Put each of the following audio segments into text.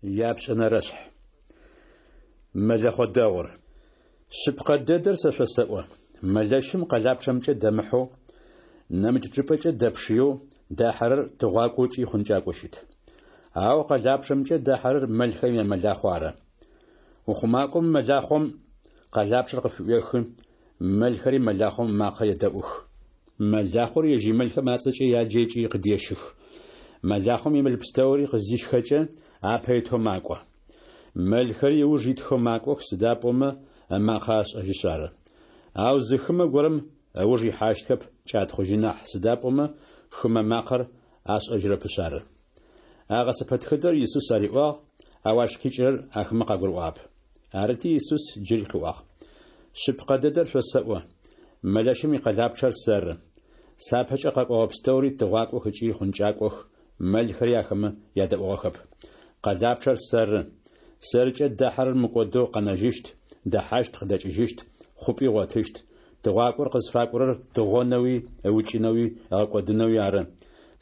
Япшӏэнэрэшъхь. Мэлэхъо дэгъур. Шъыпкъэ дэдэр сэ шъосэӏо: мэлэщым къэлапчъэмкӏэ дэмыхьэу, нэмыкӏ чӏыпӏэкӏэ дэпшыеу дахьэрэр тыгъуакӏоу ыкӏи хъункӏакӏоу щыт. Ау къэлапчъэмкӏэ дахьэрэр мэлхэм ямэлахъо ары. Ухъумакӏом мэлахъом къэлапчъэр къыфыӏуехы, мэлхэри мэлахъом ымакъэ едэӏух. Мэлахъор ежь имэлхэм ацӏэкӏэ яджэ ыкӏи къыдещых. Мэлахъом имэл пстэури къызищхэкӏэ, апэ итэу макӏо. Мэлхэри ыуж итхэу макӏох, сыда пӏомэ ымакъэ ашӏэжьышъ ары. Ау зы хымэ горэм ыуж ихьащтхэп, кӏатхъужьы нахь, сыда пӏомэ хымэ макъэр ашӏэжьырэпышъ ары. А гъэсэпэтхыдэр Исус ариӏуагъ, ау ащ къикӏырэр ахэмэ къагурыӏуагъэп. Арыти, Исус джыри къыӏуагъ: Шъыпкъэ дэдэр шъосэӏо, мэлэщым икъэлапчъэр сэры. Сапэкӏэ къэкӏогъэ пстэури тыгъуакӏох ыкӏи хъункӏакӏох, мэлхэри ахэмэ ядэӏугъэхэп. Къэлапчъэр сэры. Сэркӏэ дахьэрэр мыкӏодэу къэнэжьыщт, дэхьащт, къыдэкӏыжьыщт, хъупӏи ыгъотыщт. Тыгъуакӏор къызфакӏорэр тыгъонэуи, ыукӏынэуи, ыгъэкӏодынэуи ары.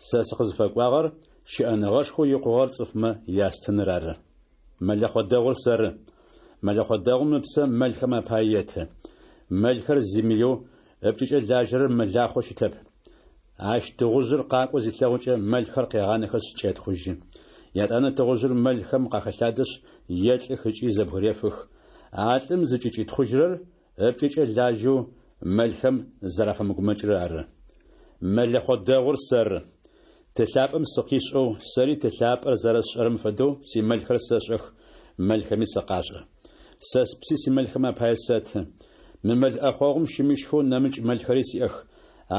Сэ сыкъызфэкӏуагъэр щыӏэныгъэшхоу икъугъэр цӏыфмэ ястыныр ары. Мэлэхъо дэгъур сэры. Мэлэхъо дэгъум ыпсэ мэлхэм апае еты. Мэлхэр зимыеу ыпкӏэкӏэ лажьэрэр мэлахъоу щытэп. Ащ тыгъужъыр къакӏоу зилъэгъукӏэ мэлхэр къегъанэхэшъ кӏетхъужьы. Етӏанэ тыгъужъыр мэлхэм къахэлъадэшъ елӏых ыкӏи зэбгырефых. А лӏым зыкӏыкӏитхъужьырэр ыпкӏэкӏэ лажьэу мэлхэм зэрафэмыгумэкӏырэр ары. Мэлэхъо дэгъур сэры. Ты лъапӏэм сыкъишӏэу, сэри Ты лъапӏэр зэрэсшӏэрэм фэдэу симэлхэр сэшӏэх, мэлхэми сэ къашӏэ. Сэ спси симэлхэм апае сэты. Мы мэл ӏэхъогъум щымыщхэу нэмыкӏ мэлхэри сиӏэх,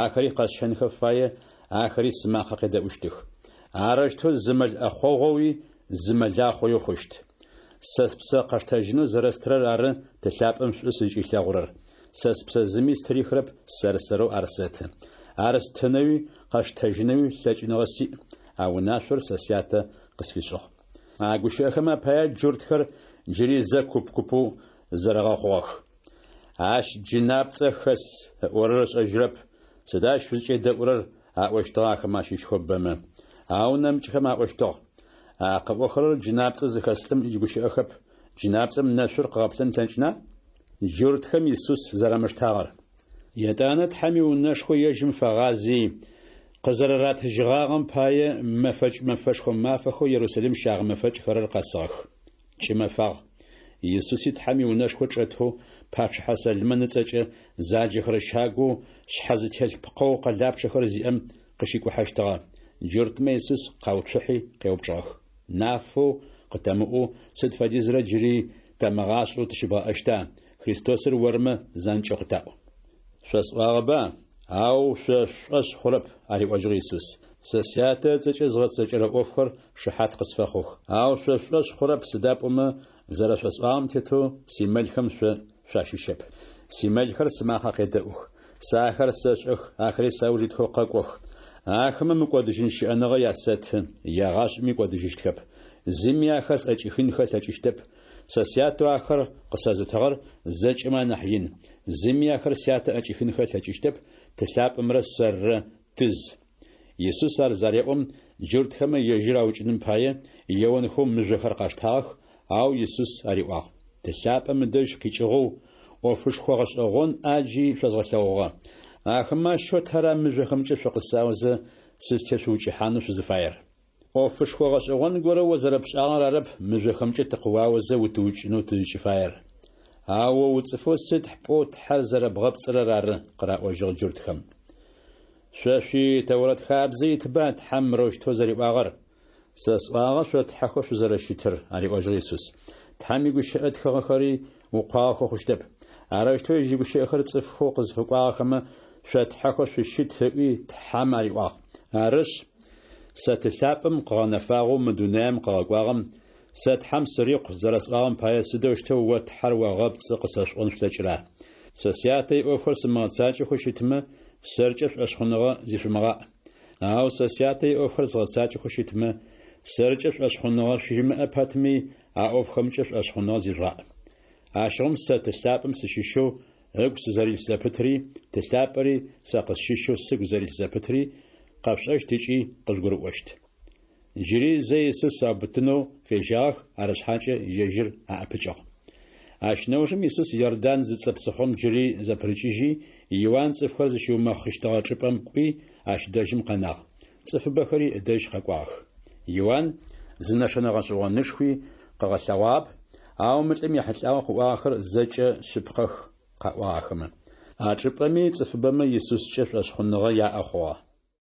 ахэри къэсщэнхэ фае, ахэри сымакъэ къедэӏущтых. Арэущтэу зы мэл ӏэхъогъоуи зы мэлахъоуи хъущт. Сэ спсэ къэсштэжьынэу зэрэстырэр ары Ты лъапӏэм шӏу сызкӏилъэгъурэр. Сэ спсэ зыми стырихырэп, сэр-сэрэу ар сэты. Ар стынэуи къэсштэжьынэуи лъэкӏыныгъэ сиӏ, а унашъор сэ Сятэ къысфишӏыгъ. А гущыӏэхэм апае джуртхэр джыри зэ куп-купэу зэрэгъэхъугъэх. Ащ джынапцӏэ хэс, ыӏорэр ышӏэжьырэп, сыда ащ шъузкӏедэӏурэр? аӏощтыгъэ ахэмэ ащыщхэу бэмэ. Ау нэмыкӏхэм аӏощтыгъ, А къыӏохэрэр джынапцӏэ зыхэс лӏым игущыӏэхэп, джынапцӏэм нэшъур къыгъэплъэн ылъэкӏына? Джуртхэм Исус зэрамыштагъэр. Етӏанэ Тхьэм иунэшхо ежьым фагъази, къызэрэратыжьыгъагъэм пае мэфэкӏ мэфэшхо мафэхэу Ерусалим щагъэмэфэкӏхэрэр къэсыгъэх. Кӏымэфагъ. Исуси Тхьэм иунэшхо чӏэтэу, пачъыхьэ Сэлмэн ыцӏэкӏэ заджэхэрэ щагоу шъхьэ зытелъ пкъэу къэлапчъэхэр зиӏэм къыщикӏухьэщтыгъэ. Джуртмэ Исус къауцухьи къеупчӏыгъэх. Нафэу къытэмыӏоу сыд фэдизрэ джыри тэмыгъашӏэу тыщыбгъэӏэщта, Христосыр ормэ, занкӏэу къытаӏу. Шъосӏуагъэба, ау шъо шъушӏошъ хъурэп, ариӏожьыгъ Исус. Сэ Сятэ ыцӏэкӏэ згъэцэкӏэрэ ӏофхэр шыхьат къысфэхъух. Ау шъо шъушӏошъ хъурэп, сыда пӏомэ зэрэшъосӏуагъэм тетэу симэлхэм шъо шъуащыщэп. Симэлхэр сымакъэ къедэӏух. Сэ ахэр сэшӏэх, ахэри сауж итхэу къэкӏох. Ахэмэ мыкӏодыжьын щыӏэныгъэ ясэты, егъашӏэми кӏодыжьыщтхэп. Зыми ахэр сӏэкӏихынхэ ылъэкӏыщтэп. Сэ Сятэу ахэр къысэзытыгъэр зэкӏэмэ анахь ин. Зыми ахэр Сятэ ӏэкӏихынхэ ылъэкӏыщтэп, Ты лъапӏэмрэ сэррэ тыз. Исус ар зареӏом, джуртхэмэ ежьыр аукӏыным пае, еонхэу мыжъохэр къаштагъэх, ау Исус ариӏуагъ, Ты лъапӏэм ыдэжь къикӏыгъэу, ӏофышхо гъэшӏэгъон ӏаджи шъозгъэлъэгъугъэ. Ахэмэ ащыщэу тэра мыжъохэмкӏэ шъукъысаозэ сызтешъуукӏыхьанэу шъузыфаер? ӏофышхо гъэшӏэгъон горэ о зэрэпшӏагъэр арэп мыжъохэмкӏэ тыкъыуаозэ утыукӏынэу тызкӏыфаер. Ау о уцӏыфэу сытхь пӏоу Тхьэр зэрэбгъэпцӏырэр ары, къыраӏожьыгъ джуртхэм. Шъо шъуи Тэурэт хабзэ итба Тхьэм мырэущтэу зэриӏуагъэр, Сэ сӏуагъэ шъо тхьэхэу шъузэрэщытыр, ариӏожьыгъ Исус. Тхьэм игущыӏэ тхыгъэхэри укъуагъэхэ хъущтэп. Арэущтэу ежь игущыӏэхэр цӏыфхэу къызфэкӏуагъэхэмэ шъо тхьэхэу шъущыт ыӏуи Тхьэм ариӏуагъ. Арышъ, сэ Ты лъапӏэм къыгъэнэфагъэу мы дунаем къыгъэкӏуагъэм, Сэ Тхьэм сырикъу зэрэсӏуагъэм пае сыдэущтэу о Тхьэр огъэпцӏы къысэшъуӏон шъулъэкӏыра? Сэ Сятэ иӏофхэр сымыгъэцакӏэхэу щытмэ, сэркӏэ шӏошъхъуныгъэ зишъумыгъаӏ. Ау сэ Сятэ иӏофхэр згъэцакӏэхэу щытмэ, сэркӏэ шӏошъхъуныгъэ шъуимыӏэ пэтми, а ӏофхэмкӏэ шӏошъхъуныгъэ зижъугъаӏ. Ащыгъум сэ Ты лъапӏэм сыщыщэу ыгу сызэрилъ зэпытри, Ты лъапӏэри сэ къысщыщэу сыгу зэрилъ зэпытри къэшъушӏэщт ыкӏи къыжъугурыӏощт. Джыри зэ Исус аубытынэу фежьагъэх, арышъхьакӏэ ежьыр аӏэпыкӏыгъ. Ащ нэужым Исус Иордан зыцӏэ псыхъом джыри зэпырыкӏыжьи, Иуан цӏыфхэр зыщиумэхъыщтыгъэ чӏыпӏэм кӏуи, ащ дэжьым къэнагъ. Цӏыфыбэхэри ыдэжь къэкӏуагъэх. Иуан зы нэшэнэ гъэшӏэгъонышхуи къыгъэлъэгъуагъэп, ау мы лӏым ехьылӏагъэу къыӏуагъэхэр зэкӏэ шъыпкъэх, къаӏуагъ ахэмэ. А чӏыпӏэми цӏыфыбэмэ Исускӏэ шӏошъхъуныгъэ яӏэ хъугъэ.